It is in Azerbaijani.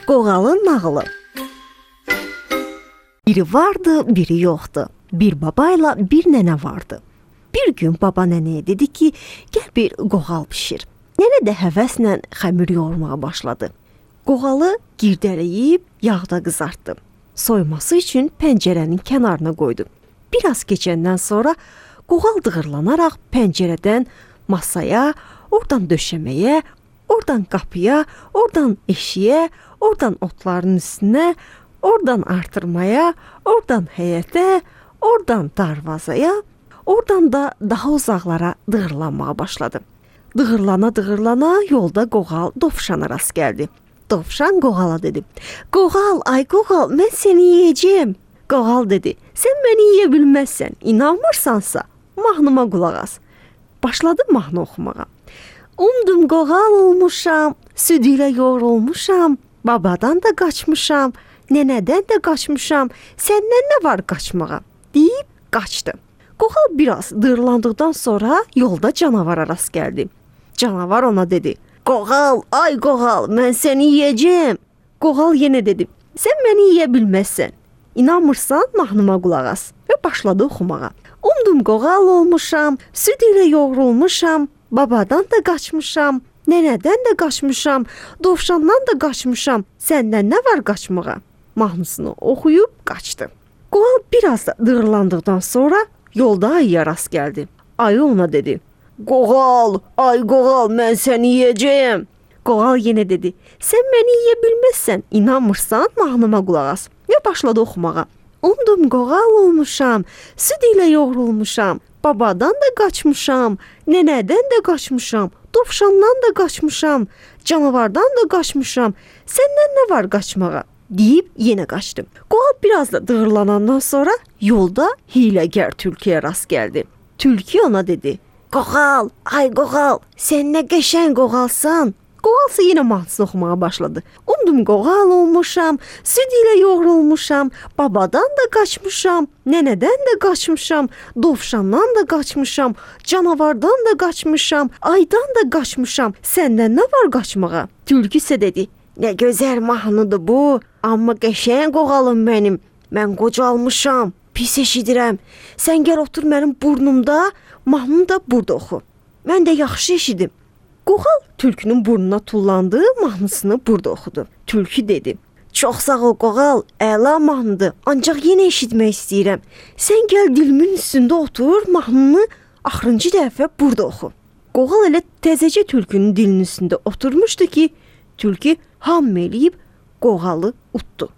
Qoğalın nağılı. Biri vardı, biri yoxdu. Bir babayla bir nənə vardı. Bir gün baba nənəyə dedi ki, gəl bir qoğal bişir. Nənə də həvəslə xəmir yoğurmağa başladı. Qoğalı girdələyib yağda qızartdı. Soyması üçün pəncərənin kənarına qoydu. Biraz keçəndən sonra qoğal dığırlanaraq pəncərədən masaya, oradan döşəməyə, oradan qapıya, oradan eşiyə, oradan otların üstünə, oradan artırmaya, oradan həyətə, oradan darvazaya, oradan da daha uzaqlara dığırlanmağa başladı. Dığırlana yolda qoğal dovşana rast gəldi. Dovşan qoğala dedi: "Qoğal, ay qoğal, mən səni yeyəcəm." Qoğal dedi: "Sən məni yeyə bilməzsən. İnanmırsansa, mahnıma qulaq as." Başladı mahnı oxumağa. Umdum qoğal olmuşam, süd ilə yoğrulmuşam, babadan da qaçmışam, nənədən də qaçmışam, səndən nə var qaçmağa? Deyib qaçdı. Qoğal biraz dırlandıqdan sonra yolda canavara rast gəldi. Canavar ona dedi: "Qoğal, ay qoğal, mən səni yeyəcəm." Qoğal yenə dedi: "Sən məni yeyə bilməzsən. İnanmırsan, mahnıma qulaq as." Və başladı oxumağa. Umdum qoğal olmuşam, süd ilə yoğrulmuşam, babadan da qaçmışam, nənədən də qaçmışam, dovşandan da qaçmışam, səndən nə var qaçmağa? Mahnısını oxuyub qaçdı. Qoğal biraz da dığırlandıqdan sonra yolda ayıya rast gəldi. Ayı ona dedi: "Qoğal, ay qoğal, mən səni yeyəcəm." Qoğal yenə dedi: "Sən məni yeyə bilməzsən, inanmırsan, mahnıma qulaq as." Və başladı oxumağa. Umdum qoğal olmuşam, süd ilə yoğrulmuşam, babadan da qaçmışam, nənədən də qaçmışam, dovşandan da qaçmışam, canavardan da qaçmışam, səndən nə var qaçmağa? Deyib yenə qaçdı. Qoğal biraz da dığırlanandan sonra yolda hiyləgər tülküyə rast gəldi. Tülkü ona dedi: "Qoğal, ay qoğal, sən nə qəşəng qoğalsan." Qoğalsa yenə mahnısını oxumağa başladı. Umdum qoğal olmuşam, süd ilə yoğrulmuşam, babadan da qaçmışam, nənədən də qaçmışam, dovşandan da qaçmışam, canavardan da qaçmışam, aydan da qaçmışam, səndən nə var qaçmağa? Tülkü isə dedi: "Nə gözəl mahnıdır bu, amma qəşəng qoğalım mənim. Mən qocalmışam, pis eşidirəm. Sən gəl otur mənim burnumda, mahnını da burada oxu. Mən də yaxşı eşidim." Qoğal tülkünün burnuna tullandı, mahnısını burada oxudu. Tülkü dedi: "Çox sağ ol qoğal, əla mahnıdır, ancaq yenə eşitmək istəyirəm. Sən gəl dilimin üstündə otur, mahnını axırıncı dəfə burada oxu." Qoğal elə təzəcə tülkünün dilinin üstündə oturmuşdu ki, tülkü ham eləyib qoğalı utdu.